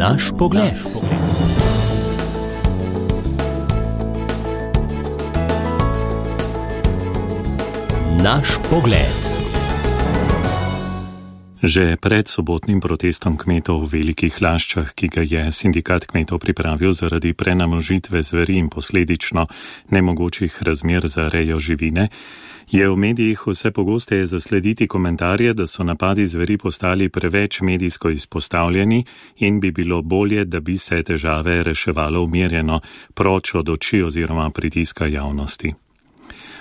Naš pogled. Naš pogled. Že pred sobotnim protestom kmetov v Velikih Laščah, ki ga je sindikat kmetov pripravil zaradi prenamnožitve zveri in posledično nemogočih razmer za rejo živine, je v medijih vse pogosteje zaslediti komentarje, da so napadi zveri postali preveč medijsko izpostavljeni in bi bilo bolje, da bi se težave reševalo umirjeno, proč od oči oziroma pritiska javnosti.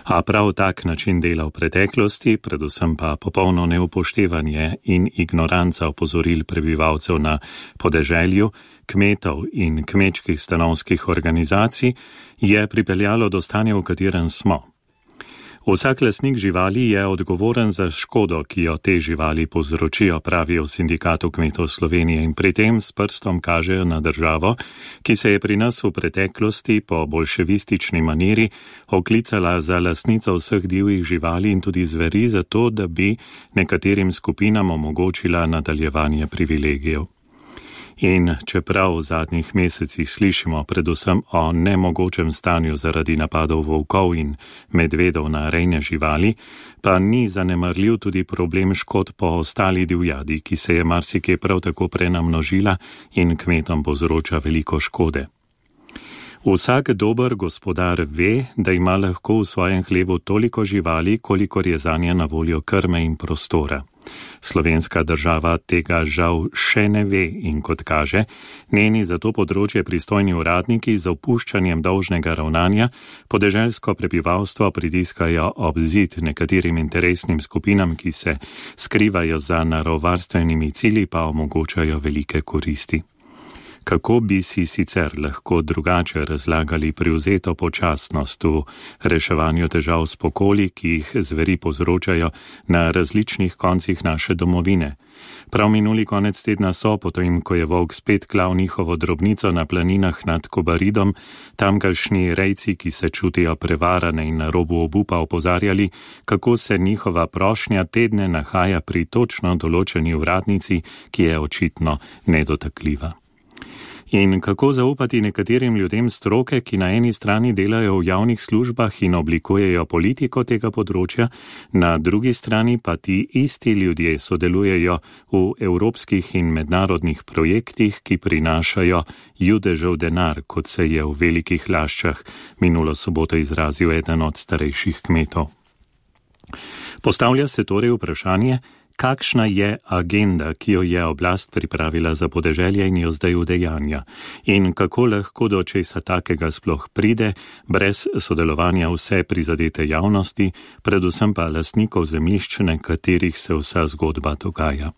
A prav tak način dela v preteklosti, predvsem pa popolno neupoštevanje in ignoranca opozoril prebivalcev na podeželju, kmetov in kmečkih stanovskih organizacij, je pripeljalo do stanja, v katerem smo. Vsak lastnik živali je odgovoren za škodo, ki jo te živali povzročijo, pravijo v Sindikatu kmetov Slovenije, in pri tem s prstom kažejo na državo, ki se je pri nas v preteklosti po bolševistični maniri oklicala za lastnico vseh divjih živali in tudi zveri, zato da bi nekaterim skupinam omogočila nadaljevanje privilegijev. In čeprav v zadnjih mesecih slišimo predvsem o nemogočem stanju zaradi napadov volkov in medvedov na rejne živali, pa ni zanemarljiv tudi problem škod po ostali divjadi, ki se je marsikje prav tako prenamnožila in kmetom povzroča veliko škode. Vsak dober gospodar ve, da ima lahko v svojem hlevu toliko živali, kolikor je zanje na voljo krme in prostora. Slovenska država tega žal še ne ve in kot kaže, njeni za to področje pristojni uradniki z opuščanjem dolžnega ravnanja podeželsko prebivalstvo pritiskajo ob zid nekaterim interesnim skupinam, ki se skrivajo za naravovarstvenimi cilji, pa omogočajo velike koristi. Kako bi si sicer lahko drugače razlagali privzeto počasnost v reševanju težav s pokoli, ki jih zveri povzročajo na različnih koncih naše domovine? Prav minuli konec tedna so, potem ko je volk spet klal njihovo drobnico na planinah nad Kobaridom, tamkajšnji rejci, ki se čutijo prevarane in na robu obupa, opozarjali, kako se njihova prošnja tedne nahaja pri točno določeni uradnici, ki je očitno nedotakljiva. In kako zaupati nekaterim ljudem stroke, ki na eni strani delajo v javnih službah in oblikujejo politiko tega področja, na drugi strani pa ti isti ljudje sodelujejo v evropskih in mednarodnih projektih, ki prinašajo judežev denar, kot se je v Velikih Laščah minulo soboto izrazil eden od starejših kmetov. Postavlja se torej vprašanje, kakšna je agenda, ki jo je oblast pripravila za podeželje in jo zdaj udejanja, in kako lahko do česa takega sploh pride, brez sodelovanja vse prizadete javnosti, predvsem pa lastnikov zemljišč, na katerih se vsa zgodba dogaja.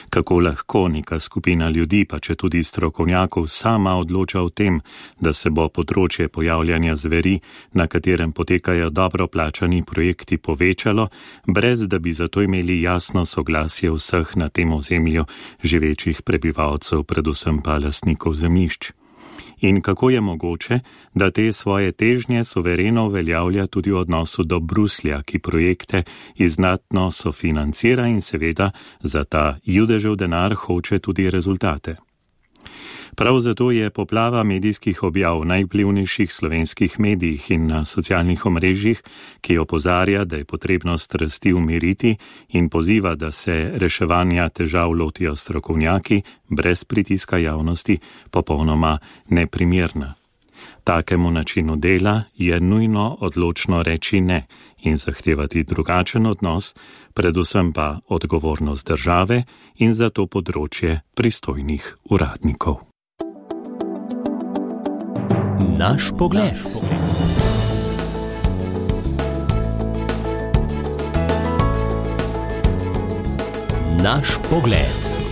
Kako lahko neka skupina ljudi, pa če tudi strokovnjakov, sama odloča o tem, da se bo področje pojavljanja zveri, na katerem potekajo dobro plačani projekti, povečalo, brez da bi zato imeli jasno soglasje vseh na tem ozemlju živečih prebivalcev, predvsem pa lastnikov zemljišč. In kako je mogoče, da te svoje težnje suvereno uveljavlja tudi v odnosu do Bruslja, ki projekte izdatno sofinancira in seveda za ta judežev denar hoče tudi rezultate. Prav zato je poplava medijskih objav v najvplivnejših slovenskih medijih in na socialnih omrežjih, ki opozarja, da je potrebno strasti umiriti in poziva, da se reševanja težav lotijo strokovnjaki brez pritiska javnosti, popolnoma neprimerna. Takemu načinu dela je nujno odločno reči ne in zahtevati drugačen odnos, predvsem pa odgovornost države in za to področje pristojnih uradnikov. Naš pogled. Naš pogled.